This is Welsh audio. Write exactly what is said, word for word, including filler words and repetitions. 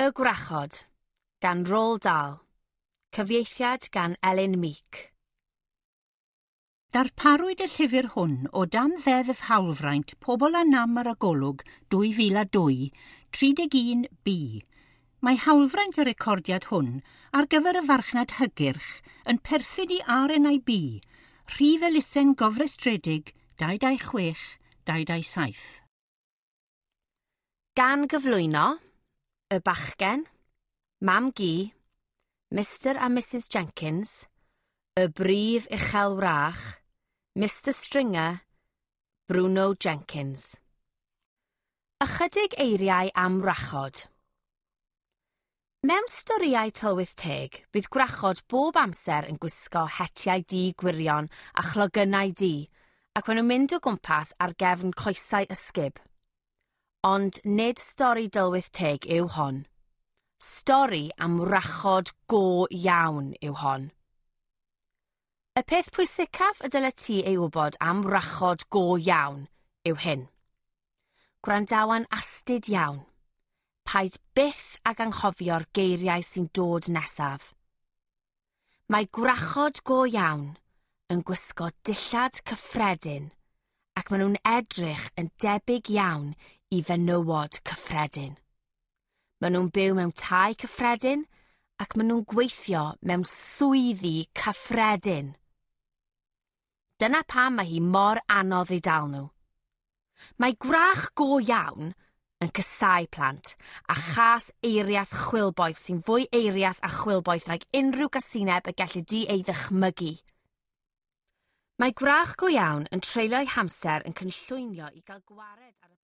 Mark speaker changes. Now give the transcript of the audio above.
Speaker 1: Y Gwrachod, gan Roald Dahl. Cyfieithiad gan Elin Meek.
Speaker 2: Darparwyd y llyfr hwn o dan Ddeddf Hawlfraint Pobl â Nam ar y Golwg dwy fil a dwy, tri deg un B. Mae hawlfraint y recordiad hwn ar gyfer y farchnad hygyrch yn perthyn i R N I B, rhif elusen gofrestredig dau dau chwech dau dau saith.
Speaker 1: Gan gyflwyno, y bachgen, mam gi, Mister a Missus Jenkins, y brif uchel wrach, Mister Stringer, Bruno Jenkins. Ychydig eiriau am wrachod. Mewn storïau tylwyth teg, bydd gwrachod bob amser yn gwisgo hetiau du gwirion a chlogynnau du, ac maen nhw'n mynd o gwmpas ar gefn coesau ysgub. Ond nid stori dylwyth teg yw hon. Stori am wrachod go iawn yw hon. Y peth pwysicaf y dylet ti ei wybod am wrachod go iawn yw hyn. Gwrandawan astud iawn. Paid byth ag anghofio'r geiriau sy'n dod nesaf. Mae gwrachod go iawn yn gwisgo dillad cyffredin ac maen nhw'n edrych yn debyg iawn i fenywod cyffredin. Maen nhw'n byw mewn tai cyffredin ac maen nhw'n gweithio mewn swyddi cyffredin. Dyna pam mae hi mor anodd i dal nhw. Mae gwrach go iawn yn casáu plant a chas eirias chwilboeth sy'n fwy eirias a chwilboeth nag unrhyw gasineb y gelli di ei ddychmygu. Mae gwrach go iawn yn treulio'i hamser yn cynllwynio i gael gwared ar y